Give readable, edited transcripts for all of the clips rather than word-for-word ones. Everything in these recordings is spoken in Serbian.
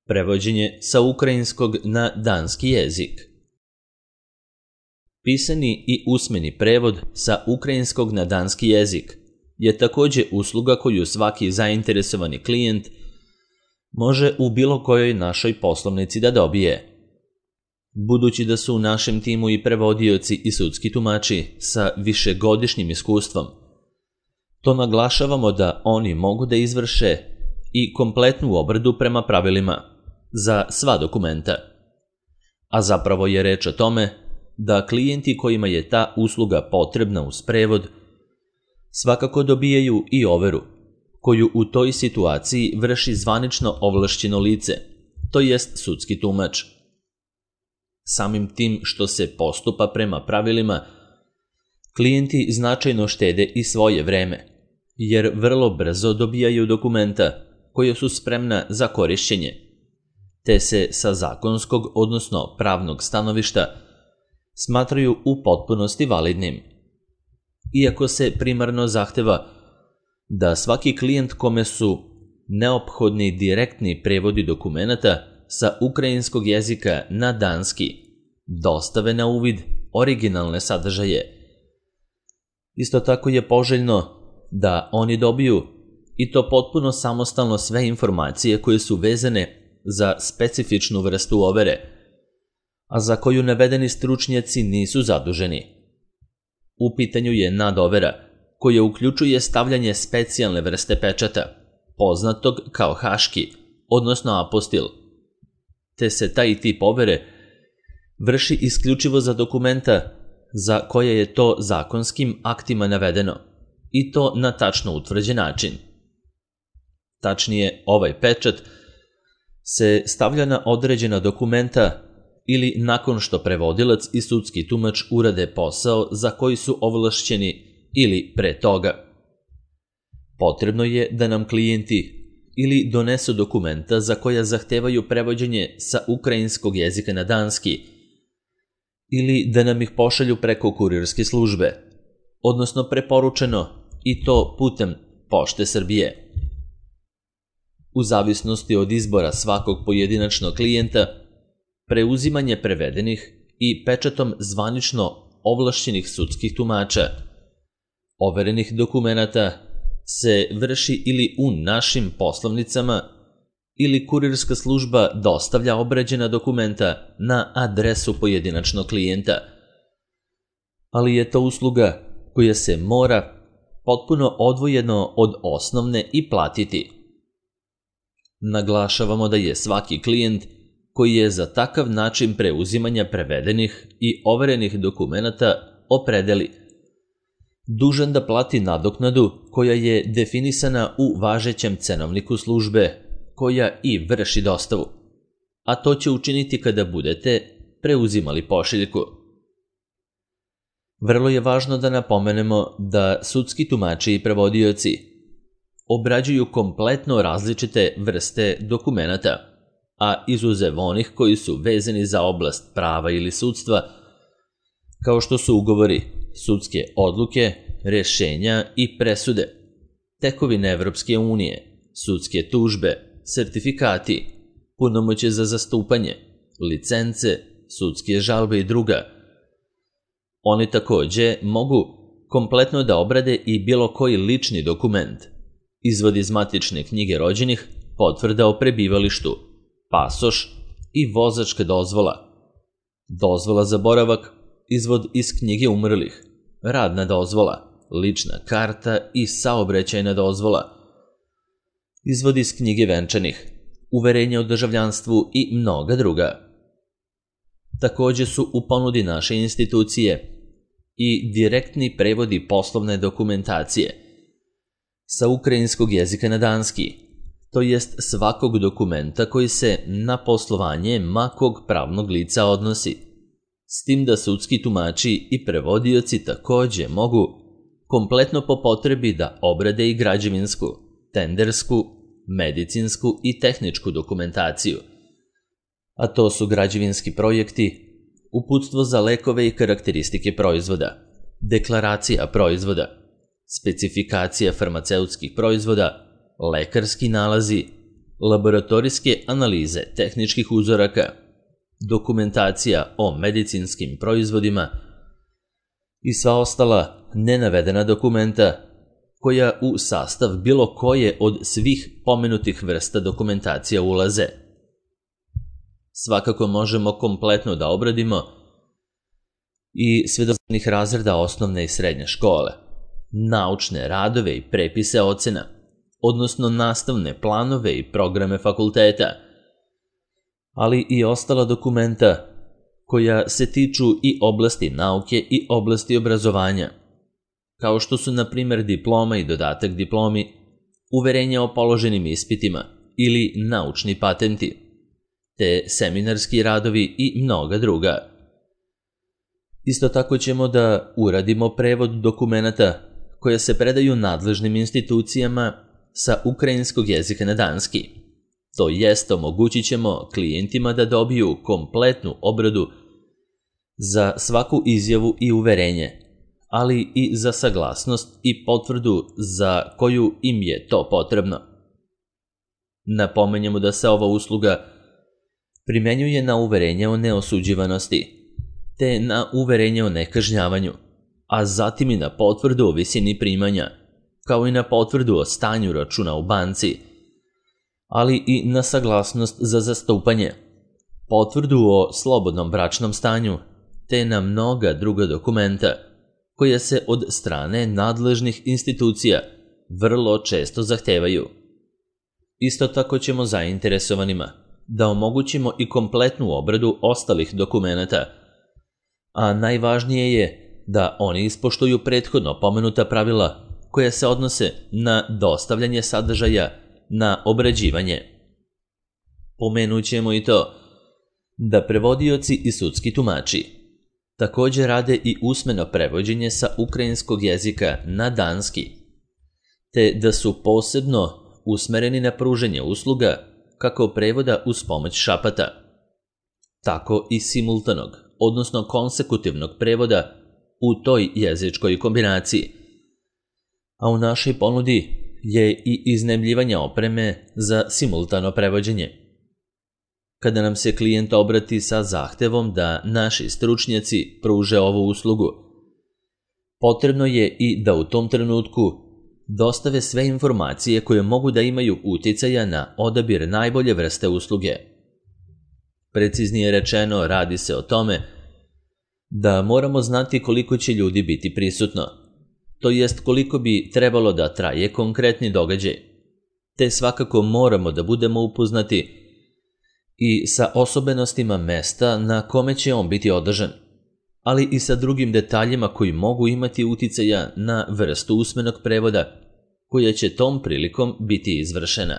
Prevođenje sa ukrajinskog na danski jezik. Pisani i usmeni prevod sa ukrajinskog na danski jezik je također usluga koju svaki zainteresovani klijent može u bilo kojoj našoj poslovnici da dobije. Budući da su u našem timu i prevodioci i sudski tumači sa višegodišnjim iskustvom, to naglašavamo da oni mogu da izvrše i kompletnu obradu prema pravilima za sva dokumenta. A zapravo je reč o tome da klijenti kojima je ta usluga potrebna uz prevod svakako dobijaju i overu, koju u toj situaciji vrši zvanično ovlašćeno lice, to jest sudski tumač. Samim tim što se postupa prema pravilima, klijenti značajno štede i svoje vreme, jer vrlo brzo dobijaju dokumenta koje su spremna za korišćenje, te se sa zakonskog, odnosno pravnog stanovišta, smatraju u potpunosti validnim. Iako se primarno zahteva da svaki klijent kome su neophodni direktni prevodi dokumenata sa ukrajinskog jezika na danski dostave na uvid originalne sadržaje. Isto tako je poželjno da oni dobiju i to potpuno samostalno sve informacije koje su vezane za specifičnu vrstu overe, a za koju navedeni stručnjaci nisu zaduženi. U pitanju je nadovera, koja uključuje stavljanje specijalne vrste pečata, poznatog kao haški, odnosno apostil, te se taj tip overe vrši isključivo za dokumenta za koje je to zakonskim aktima navedeno, i to na tačno utvrđen način. Tačnije, ovaj pečat se stavlja na određena dokumenta ili nakon što prevodilac i sudski tumač urade posao za koji su ovlašćeni ili pre toga. Potrebno je da nam klijenti ili donesu dokumenta za koja zahtevaju prevođenje sa ukrajinskog jezika na danski ili da nam ih pošalju preko kurirske službe, odnosno preporučeno i to putem Pošte Srbije. U zavisnosti od izbora svakog pojedinačnog klijenta, preuzimanje prevedenih i pečatom zvanično ovlašćenih sudskih tumača overenih dokumenata se vrši ili u našim poslovnicama ili kurirska služba dostavlja obrađena dokumenta na adresu pojedinačnog klijenta. Ali je to usluga koja se mora potpuno odvojeno od osnovne i platiti. Naglašavamo da je svaki klijent koji je za takav način preuzimanja prevedenih i overenih dokumenata opredeli dužan da plati nadoknadu koja je definisana u važećem cenovniku službe koja i vrši dostavu, a to će učiniti kada budete preuzimali pošiljku. Vrlo je važno da napomenemo da sudski tumači i prevodioci obrađuju kompletno različite vrste dokumenata, a izuzev onih koji su vezani za oblast prava ili sudstva, kao što su ugovori, sudske odluke, rješenja i presude, tekovine Evropske unije, sudske tužbe, sertifikati, punomoćje za zastupanje, licence, sudske žalbe i druga. Oni također mogu kompletno da obrade i bilo koji lični dokument, izvod iz matične knjige rođenih, potvrda o prebivalištu, pasoš i vozačka dozvola, dozvola za boravak, izvod iz knjige umrlih, radna dozvola, lična karta i saobraćajna dozvola, izvod iz knjige venčanih, uverenje o državljanstvu i mnoga druga. Također su u ponudi naše institucije i direktni prevodi poslovne dokumentacije sa ukrajinskog jezika na danski, to jest svakog dokumenta koji se na poslovanje makog pravnog lica odnosi, s tim da sudski tumači i prevodioci također mogu kompletno po potrebi da obrade i građevinsku, tendersku, medicinsku i tehničku dokumentaciju, a to su građevinski projekti, uputstvo za lekove i karakteristike proizvoda, deklaracija proizvoda, specifikacija farmaceutskih proizvoda, lekarski nalazi, laboratorijske analize tehničkih uzoraka, dokumentacija o medicinskim proizvodima i sva ostala nenavedena dokumenta koja u sastav bilo koje od svih pomenutih vrsta dokumentacija ulaze. Svakako možemo kompletno da obradimo i sve do razreda osnovne i srednje škole, naučne radove i prepise ocena, odnosno nastavne planove i programe fakulteta, ali i ostala dokumenta koja se tiču i oblasti nauke i oblasti obrazovanja, kao što su na primjer diploma i dodatak diplomi, uverenja o položenim ispitima ili naučni patenti, te seminarski radovi i mnoga druga. Isto tako ćemo da uradimo prevod dokumenata koje se predaju nadležnim institucijama sa ukrajinskog jezika na danski. To jest, omogućit ćemo klijentima da dobiju kompletnu obradu za svaku izjavu i uverenje, ali i za saglasnost i potvrdu za koju im je to potrebno. Napomenjemo da se ova usluga primenjuje na uverenje o neosuđivanosti, te na uverenje o nekažnjavanju, a zatim i na potvrdu o visini primanja, kao i na potvrdu o stanju računa u banci, ali i na saglasnost za zastupanje, potvrdu o slobodnom bračnom stanju, te na mnoga druga dokumenta koja se od strane nadležnih institucija vrlo često zahtevaju. Isto tako ćemo zainteresovanima da omogućimo i kompletnu obradu ostalih dokumenata, a najvažnije je da oni ispoštuju prethodno pomenuta pravila koja se odnose na dostavljanje sadržaja na obrađivanje. Pomenut ćemo i to da prevodioci i sudski tumači također rade i usmeno prevođenje sa ukrajinskog jezika na danski, te da su posebno usmereni na pružanje usluga kako prevoda uz pomoć šapata, tako i simultanog, odnosno konsekutivnog prevoda u toj jezičkoj kombinaciji. A u našoj ponudi je i iznajmljivanje opreme za simultano prevođenje. Kada nam se klijent obrati sa zahtevom da naši stručnjaci pruže ovu uslugu, potrebno je i da u tom trenutku dostave sve informacije koje mogu da imaju uticaja na odabir najbolje vrste usluge. Preciznije rečeno, radi se o tome da moramo znati koliko će ljudi biti prisutno, to jest koliko bi trebalo da traje konkretni događaj, te svakako moramo da budemo upoznati i sa osobenostima mesta na kome će on biti održan, ali i sa drugim detaljima koji mogu imati uticaja na vrstu usmenog prevoda koja će tom prilikom biti izvršena.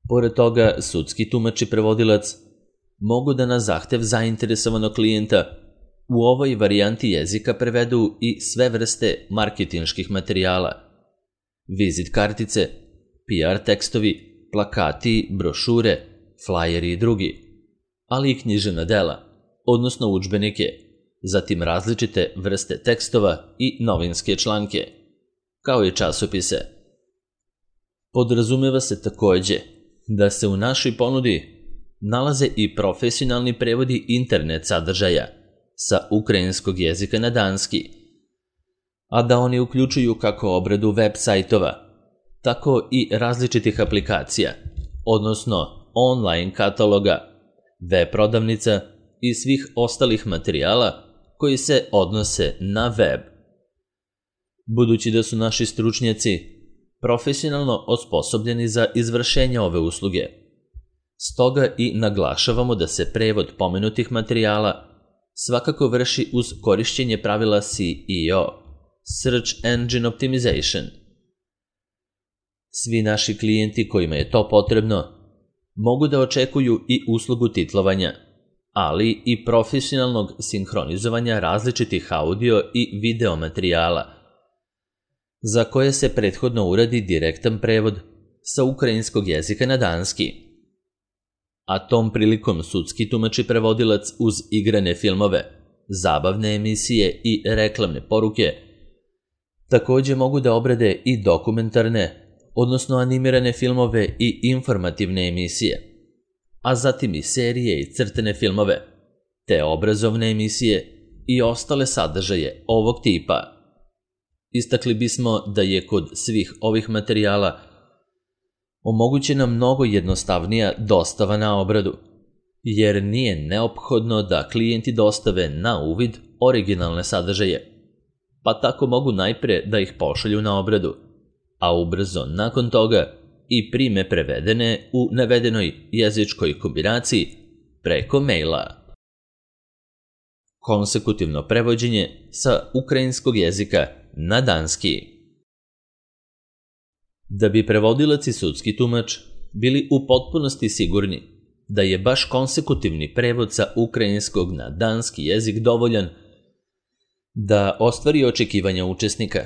Pored toga, sudski tumač i prevodilac mogu da na zahtev zainteresovanog klijenta u ovoj varijanti jezika prevedu i sve vrste marketinških materijala, vizit kartice, PR tekstovi, plakati, brošure, flajeri i drugi, ali i književna dela, odnosno udžbenike, zatim različite vrste tekstova i novinske članke, kao i časopise. Podrazumeva se takođe da se u našoj ponudi nalaze i profesionalni prevodi internet sadržaja sa ukrajinskog jezika na danski, a da oni uključuju kako obradu web sajtova, tako i različitih aplikacija, odnosno online kataloga, web prodavnica i svih ostalih materijala koji se odnose na web. Budući da su naši stručnjaci profesionalno osposobljeni za izvršenje ove usluge, stoga i naglašavamo da se prevod pomenutih materijala svakako vrši uz korišćenje pravila SEO, Search Engine Optimization. Svi naši klijenti kojima je to potrebno mogu da očekuju i uslugu titlovanja, ali i profesionalnog sinhronizovanja različitih audio i video materijala, za koje se prethodno uradi direktan prevod sa ukrajinskog jezika na danski. A tom prilikom sudski tumač i prevodilac uz igrane filmove, zabavne emisije i reklamne poruke takođe mogu da obrade i dokumentarne, odnosno animirane filmove i informativne emisije, a zatim i serije i crtene filmove, te obrazovne emisije i ostale sadržaje ovog tipa. Istakli bismo da je kod svih ovih materijala omogućena mnogo jednostavnija dostava na obradu, jer nije neophodno da klijenti dostave na uvid originalne sadržaje, pa tako mogu najpre da ih pošalju na obradu, a ubrzo nakon toga i prime prevedene u navedenoj jezičkoj kombinaciji preko maila. Konsekutivno prevođenje sa ukrajinskog jezika na danski. Da bi prevodilac i sudski tumač bili u potpunosti sigurni da je baš konsekutivni prevod sa ukrajinskog na danski jezik dovoljan da ostvari očekivanja učesnika,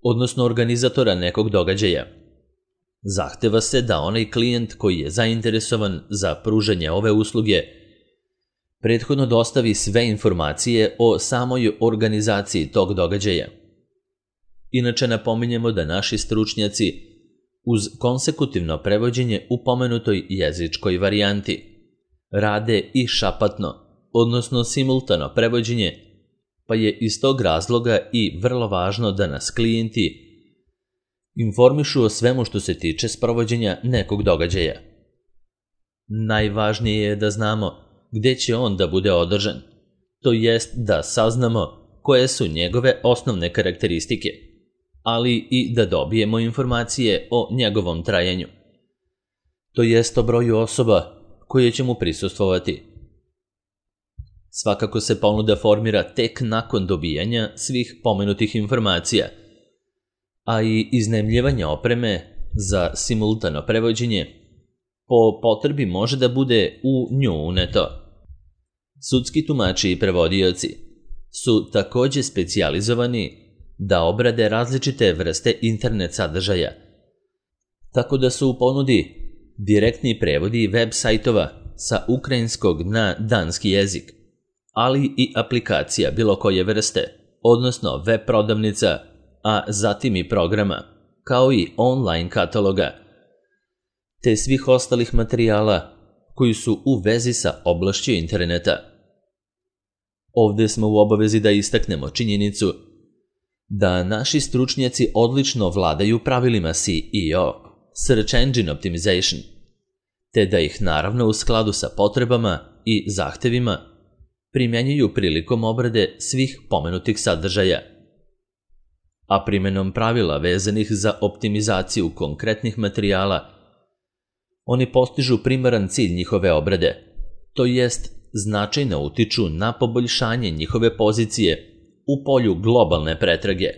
odnosno organizatora nekog događaja, zahteva se da onaj klijent koji je zainteresovan za pružanje ove usluge prethodno dostavi sve informacije o samoj organizaciji tog događaja. Inače napominjemo da naši stručnjaci uz konsekutivno prevođenje u pomenutoj jezičkoj varijanti rade i šapatno, odnosno simultano prevođenje, pa je iz tog razloga i vrlo važno da nas klijenti informišu o svemu što se tiče sprovođenja nekog događaja. Najvažnije je da znamo gde će on da bude održan, to jest da saznamo koje su njegove osnovne karakteristike, ali i da dobijemo informacije o njegovom trajanju, to jest o broju osoba koje će mu prisustvovati. Svakako se ponuda formira tek nakon dobijanja svih pomenutih informacija, a i iznajmljivanje opreme za simultano prevođenje po potrebi može da bude u nju uneto. Sudski tumači i prevodioci su takođe specijalizovani da obrade različite vrste internet sadržaja, tako da su u ponudi direktni prevodi web sajtova sa ukrajinskog na danski jezik, ali i aplikacija bilo koje vrste, odnosno web prodavnica, a zatim i programa, kao i online kataloga, te svih ostalih materijala koji su u vezi sa oblašću interneta. Ovde smo u obavezi da istaknemo činjenicu da naši stručnjaci odlično vladaju pravilima SEO, Search Engine Optimization, te da ih naravno u skladu sa potrebama i zahtevima primjenjuju prilikom obrade svih pomenutih sadržaja. A primenom pravila vezanih za optimizaciju konkretnih materijala, oni postižu primaran cilj njihove obrade, to jest značajno utiču na poboljšanje njihove pozicije u polju globalne pretrage.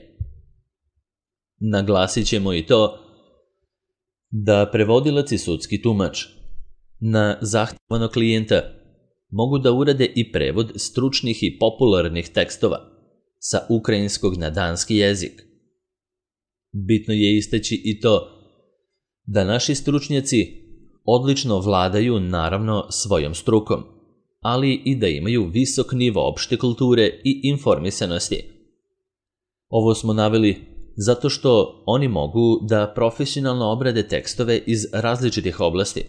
Naglasit ćemo i to da prevodilac i sudski tumač na zahtevano klijenta mogu da urade i prevod stručnih i popularnih tekstova sa ukrajinskog na danski jezik. Bitno je istaći i to da naši stručnjaci odlično vladaju naravno svojom strukom, ali i da imaju visok nivo opšte kulture i informisanosti. Ovo smo naveli zato što oni mogu da profesionalno obrade tekstove iz različitih oblasti,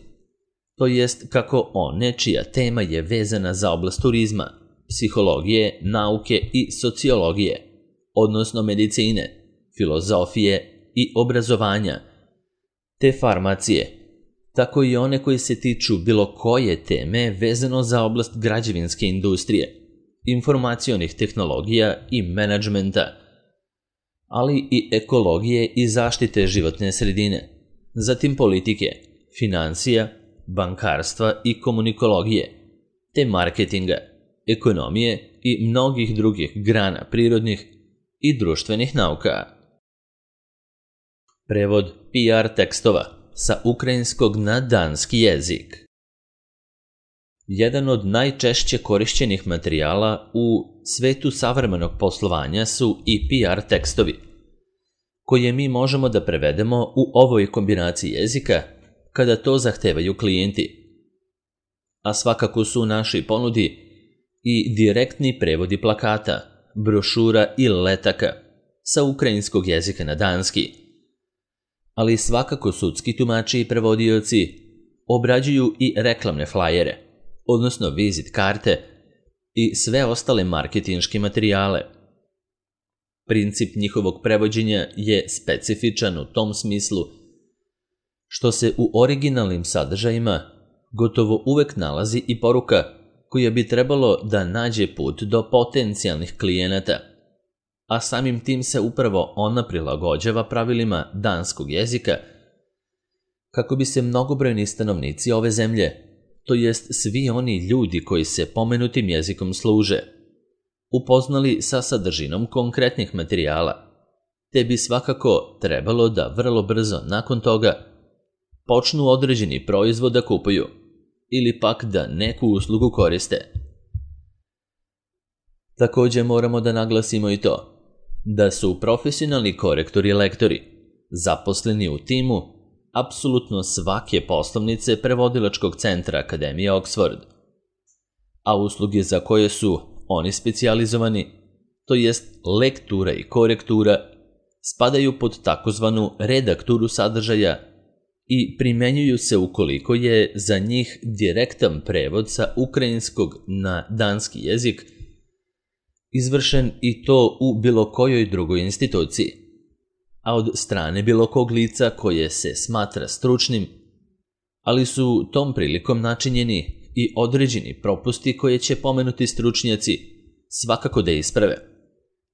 to jest kako one čija tema je vezana za oblast turizma, psihologije, nauke i sociologije, odnosno medicine, filozofije i obrazovanja, te farmacije, tako i one koje se tiču bilo koje teme vezano za oblast građevinske industrije, informacionih tehnologija i menadžmenta, ali i ekologije i zaštite životne sredine, zatim politike, financija, bankarstva i komunikologije, te marketinga, ekonomije i mnogih drugih grana prirodnih i društvenih nauka. Prevod PR tekstova sa ukrajinskog na danski jezik. Jedan od najčešće korišćenih materijala u svetu savremenog poslovanja su i PR tekstovi, koje mi možemo da prevedemo u ovoj kombinaciji jezika kada to zahtevaju klijenti. A svakako su u našoj ponudi i direktni prevodi plakata, brošura i letaka sa ukrajinskog jezika na danski, ali svakako sudski tumači i prevodioci obrađuju i reklamne flajere, odnosno vizit karte i sve ostale marketinške materijale. Princip njihovog prevođenja je specifičan u tom smislu što se u originalnim sadržajima gotovo uvek nalazi i poruka koja bi trebalo da nađe put do potencijalnih klijenata, a samim tim se upravo ona prilagođava pravilima danskog jezika kako bi se mnogobrojni stanovnici ove zemlje, to jest svi oni ljudi koji se pomenutim jezikom služe, upoznali sa sadržinom konkretnih materijala, te bi svakako trebalo da vrlo brzo nakon toga počnu određeni proizvod da kupuju ili pak da neku uslugu koriste. Također moramo da naglasimo i to da su profesionalni korektori i lektori zaposleni u timu apsolutno svake poslovnice prevodilačkog centra Akademije Oxford, a usluge za koje su oni specijalizovani, to jest lektura i korektura, spadaju pod takozvanu redakturu sadržaja i primenjuju se ukoliko je za njih direktan prevod sa ukrajinskog na danski jezik izvršen i to u bilo kojoj drugoj instituciji, a od strane bilo kog lica koje se smatra stručnim, ali su tom prilikom načinjeni i određeni propusti koje će pomenuti stručnjaci svakako da isprave,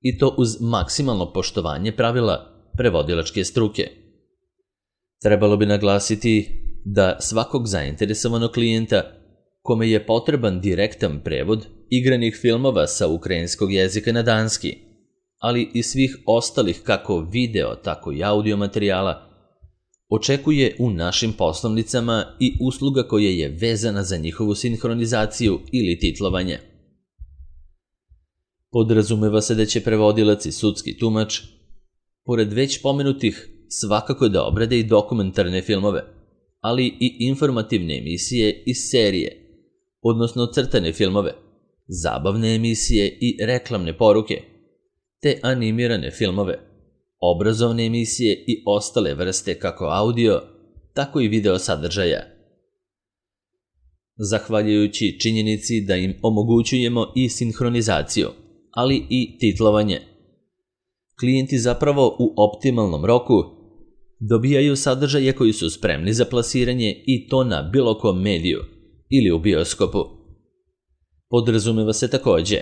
i to uz maksimalno poštovanje pravila prevodilačke struke. Trebalo bi naglasiti da svakog zainteresovanog klijenta kome je potreban direktan prevod igranih filmova sa ukrajinskog jezika na danski, ali i svih ostalih kako video, tako i audio materijala, očekuje u našim poslovnicama i usluga koja je vezana za njihovu sinhronizaciju ili titlovanje. Podrazumeva se da će prevodilac i sudski tumač, pored već pomenutih, svakako da obrade i dokumentarne filmove, ali i informativne emisije i serije, odnosno crtane filmove, zabavne emisije i reklamne poruke, te animirane filmove, obrazovne emisije i ostale vrste kako audio, tako i video sadržaja. Zahvaljujući činjenici da im omogućujemo i sinhronizaciju, ali i titlovanje, klijenti zapravo u optimalnom roku dobijaju sadržaje koji su spremni za plasiranje i to na bilo kom mediju ili u bioskopu. Podrazumeva se također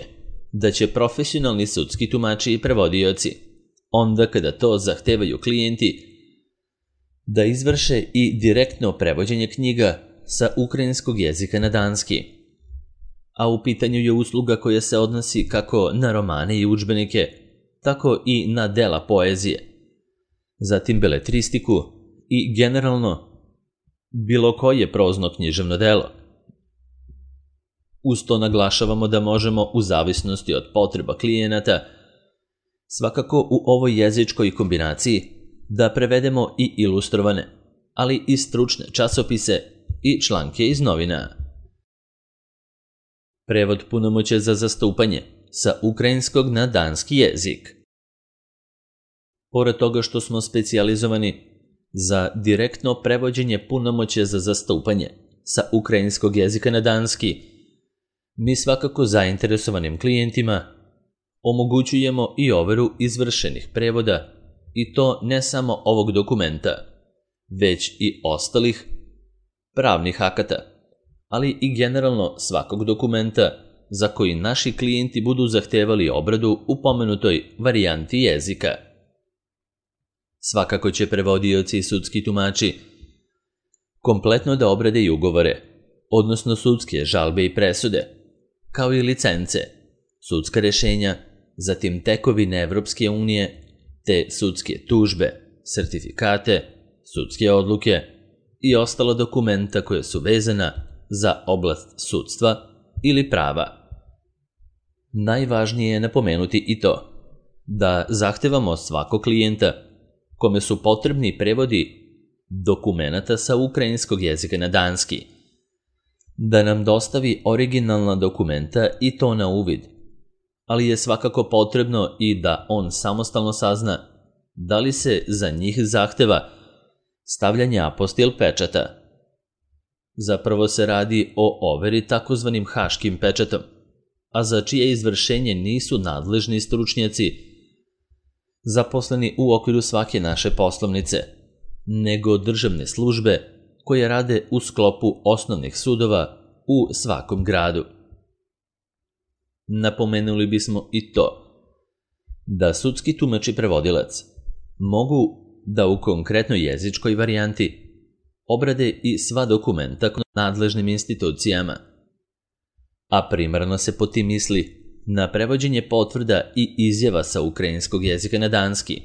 da će profesionalni sudski tumači i prevodioci, onda kada to zahtevaju klijenti, da izvrše i direktno prevođenje knjiga sa ukrajinskog jezika na danski, a u pitanju je usluga koja se odnosi kako na romane i udžbenike, tako i na dela poezije, zatim beletristiku i generalno bilo koje prozno književno delo. Uz to naglašavamo da možemo u zavisnosti od potreba klijenata svakako u ovoj jezičkoj kombinaciji da prevedemo i ilustrovane, ali i stručne časopise i članke iz novina. Prevod punomoćja za zastupanje sa ukrajinskog na danski jezik. Pored toga što smo specijalizovani za direktno prevođenje punomoćja za zastupanje sa ukrajinskog jezika na danski, mi svakako zainteresovanim klijentima omogućujemo i overu izvršenih prevoda, i to ne samo ovog dokumenta, već i ostalih pravnih akata, ali i generalno svakog dokumenta za koji naši klijenti budu zahtevali obradu u pomenutoj varijanti jezika. Svakako će prevodioci i sudski tumači kompletno da obrade i ugovore, odnosno sudske žalbe i presude, kao i licence, sudska rešenja, zatim tekovine Evropske unije, te sudske tužbe, sertifikate, sudske odluke i ostala dokumenta koja su vezana za oblast sudstva ili prava. Najvažnije je napomenuti i to da zahtevamo svakog klijenta kome su potrebni prevodi dokumenata sa ukrajinskog jezika na danski, da nam dostavi originalna dokumenta i to na uvid, ali je svakako potrebno i da on samostalno sazna da li se za njih zahteva stavljanje apostil pečata. Zapravo se radi o overi takozvanim haškim pečatom, a za čije izvršenje nisu nadležni stručnjaci zaposleni u okviru svake naše poslovnice, nego državne službe koje rade u sklopu osnovnih sudova u svakom gradu. Napomenuli bismo i to da sudski tumač i prevodilac mogu da u konkretnoj jezičkoj varijanti obrade i sva dokumenta nadležnim institucijama, a primarno se po tim misli na prevođenje potvrda i izjava sa ukrajinskog jezika na danski,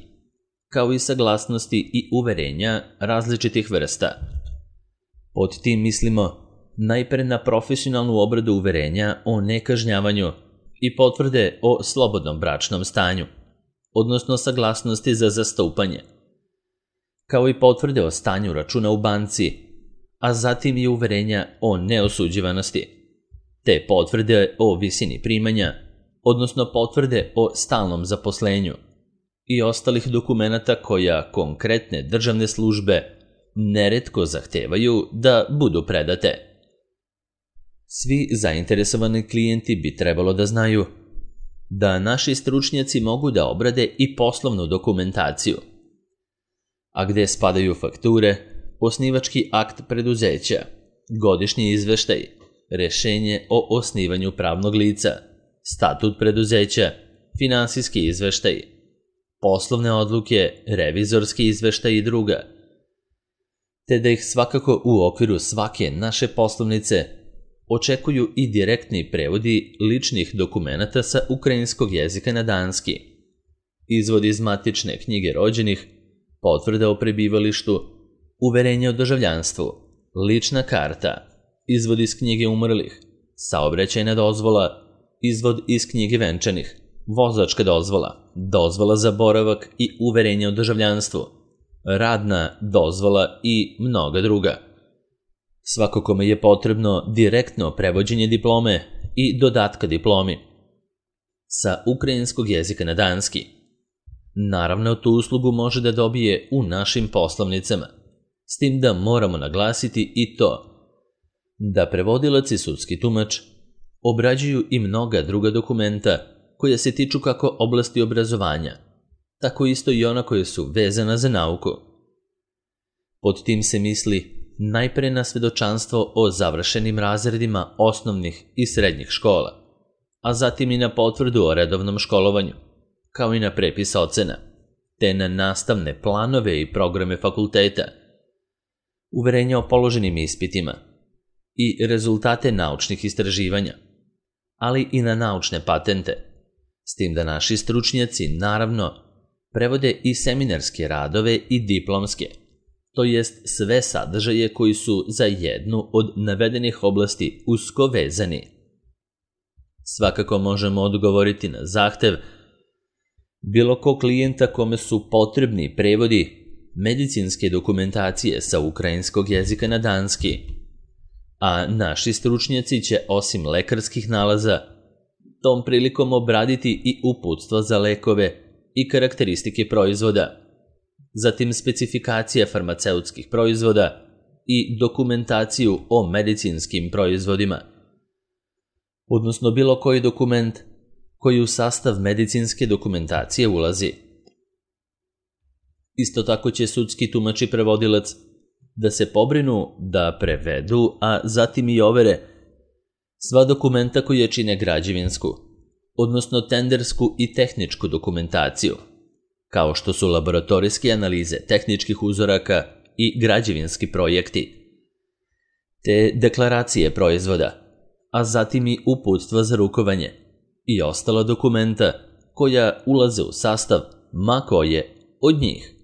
kao i saglasnosti i uverenja različitih vrsta. Pod tim mislimo najpre na profesionalnu obradu uverenja o nekažnjavanju i potvrde o slobodnom bračnom stanju, odnosno saglasnosti za zastupanje, kao i potvrde o stanju računa u banci, a zatim i uverenja o neosuđivanosti, te potvrde o visini primanja, odnosno potvrde o stalnom zaposlenju i ostalih dokumenata koja konkretne državne službe neretko zahtevaju da budu predate. Svi zainteresovani klijenti bi trebalo da znaju da naši stručnjaci mogu da obrade i poslovnu dokumentaciju, a gde spadaju fakture, osnivački akt preduzeća, godišnji izveštaj, rešenje o osnivanju pravnog lica, statut preduzeća, finansijski izveštaj, poslovne odluke, revizorski izveštaj i druga, te da ih svakako u okviru svake naše poslovnice očekuju i direktni prevodi ličnih dokumenata sa ukrajinskog jezika na danski, izvod iz matične knjige rođenih, potvrda o prebivalištu, uverenje o državljanstvu, lična karta, izvod iz knjige umrlih, saobraćajna dozvola, izvod iz knjige venčanih, vozačka dozvola, dozvola za boravak i uverenje o državljanstvu, radna dozvola i mnoga druga. Svako kome je potrebno direktno prevođenje diplome i dodatka diplomi sa ukrajinskog jezika na danski. Naravno, tu uslugu može da dobije u našim poslovnicama, s tim da moramo naglasiti i to da prevodilac i sudski tumač obrađuju i mnoga druga dokumenta koja se tiču kako oblasti obrazovanja, tako isto i ona koja su vezana za nauku. Pod tim se misli najpre na svedočanstvo o završenim razredima osnovnih i srednjih škola, a zatim i na potvrdu o redovnom školovanju, kao i na prepis ocena, te na nastavne planove i programe fakulteta, uverenja o položenim ispitima i rezultate naučnih istraživanja, ali i na naučne patente, s tim da naši stručnjaci, naravno, prevode i seminarske radove i diplomske, to jest sve sadržaje koji su za jednu od navedenih oblasti usko vezani. Svakako možemo odgovoriti na zahtev bilo ko klijenta kome su potrebni prevodi medicinske dokumentacije sa ukrajinskog jezika na danski, a naši stručnjaci će osim lekarskih nalaza tom prilikom obraditi i uputstva za lekove i karakteristike proizvoda, zatim specifikacija farmaceutskih proizvoda i dokumentaciju o medicinskim proizvodima, odnosno bilo koji dokument koji u sastav medicinske dokumentacije ulazi. Isto tako će sudski tumač i prevodilac da se pobrinu da prevedu, a zatim i overe sva dokumenta koje čine građevinsku, odnosno tendersku i tehničku dokumentaciju, kao što su laboratorijske analize tehničkih uzoraka i građevinski projekti, te deklaracije proizvoda, a zatim i uputstva za rukovanje i ostala dokumenta koja ulaze u sastav ma koje od njih.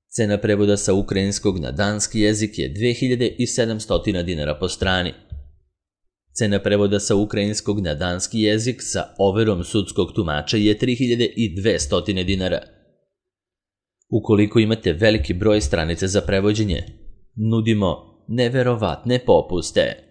Cena prevoda sa ukrajinskog na danski jezik je 2700 dinara po strani. Cena prevoda sa ukrajinskog na danski jezik sa overom sudskog tumača je 3200 dinara. Ukoliko imate veliki broj stranica za prevođenje, nudimo neverovatne popuste.